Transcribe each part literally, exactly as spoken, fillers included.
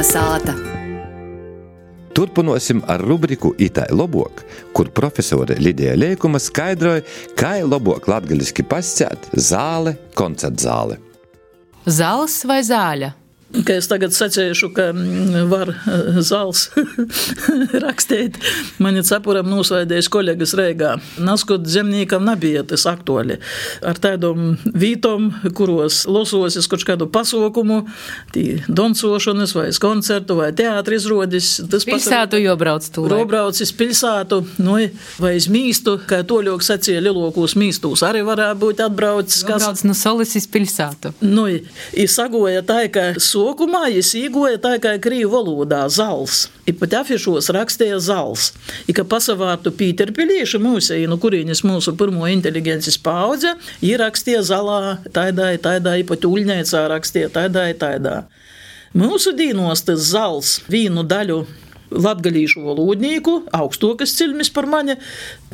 Kalnasāta. Turpināsim ar rubriku Itai lobuok, kur profesore Lidija Leikuma skaidroja, kā lobuok latgaliski pascēt zāle, koncertzāle. Zals vai zāļa? Ka es tagad sacēšu, ka var zals rakstīt. Mani capuram nosvaidējuši koļegas Reigā. Naskot zemniekam nebija tas aktuāli. Ar tādom vītom, kuros lososis kaut kādu pasaukumu, tī doncošanas vai koncertu vai teātri izrodis. Pilsētu jobrauc tūlē. Robraucis pilsētu, nu, vai iz mīstu, kā toļok sacīja lielokūs mīstūs. Arī varētu būt atbraucis. Jobrauc no Solis iz pilsētu. Nu, i sagoja tā, ka sokumā es īgoja tā kā krīvu valodā zals. I pat afišos rakstīja zals. I ka pasavārtu Pīterpilīši mūsei, no kurīnis mūsu pirmo inteligences paudze, i rakstīja zalā, taidā, taidā, i pat Uļņaicā rakstīja taidā, taidā. Mūsu dīnos tas zals vīnu daļu latgalīšu valodnīku, augstokas cilmis par mani,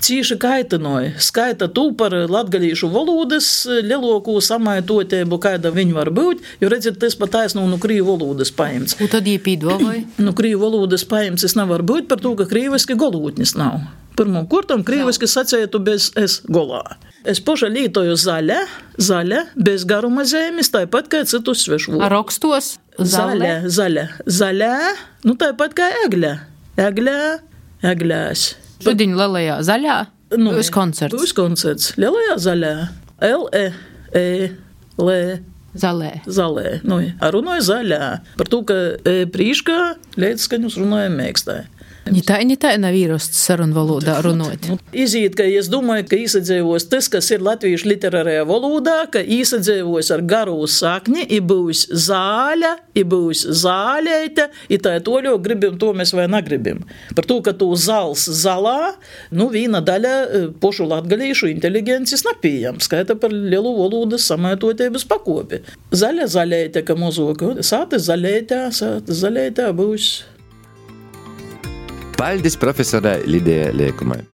cīši kaitinoja. Skaita tū par latgalīšu valodas lielokū samaitotēbu, kāda viņi var būt, jo redzat, tas pat taisno no krīvu valodas paimts. Un tad iepīdovai? No krīvu valodas paimts es nevar būt par to, ka krīviski golūtnis nav. Pirmam kurtam krīviski sacētu bez es golā. Es poša lītoju zaļa, zaļa, bez garuma zemes, tāpat kā citus svešu. Ar rokstos? Zaļa, zaļa, zaļa, nu tāpat kā egļa. Egļa, egļās. Šudiņ lielajā zaļā? Nu, Būs koncerts. Būs koncerts. Lielajā zaļā. L, E, E, L, Zalē. Zalē. Nu, runāju zaļā. Par to, ka e, prīškā līdzskaņus runājam mēkstāji. Ni tā, ni tā nav īrosts sarunu valodā runot. Izīt, ka es domāju, ka īsadzēvos tas, kas ir latviešu literārajā valodā, ka īsadzēvos ar garu sakni, i būs zāļa, i būs zāļeite, i tā toļo gribim to mēs vai negribim. Par to, ka tu zals zalā, nu vīna daļa pošu latgalīšu inteligences napījam, skaita par lielu valodas samaitotības pakopi. Zaļa zaļeite, ka mozoka, sāta zaļeitā, sāta zaļeitā būs. Paldies profesorai Lidijai Leikumai.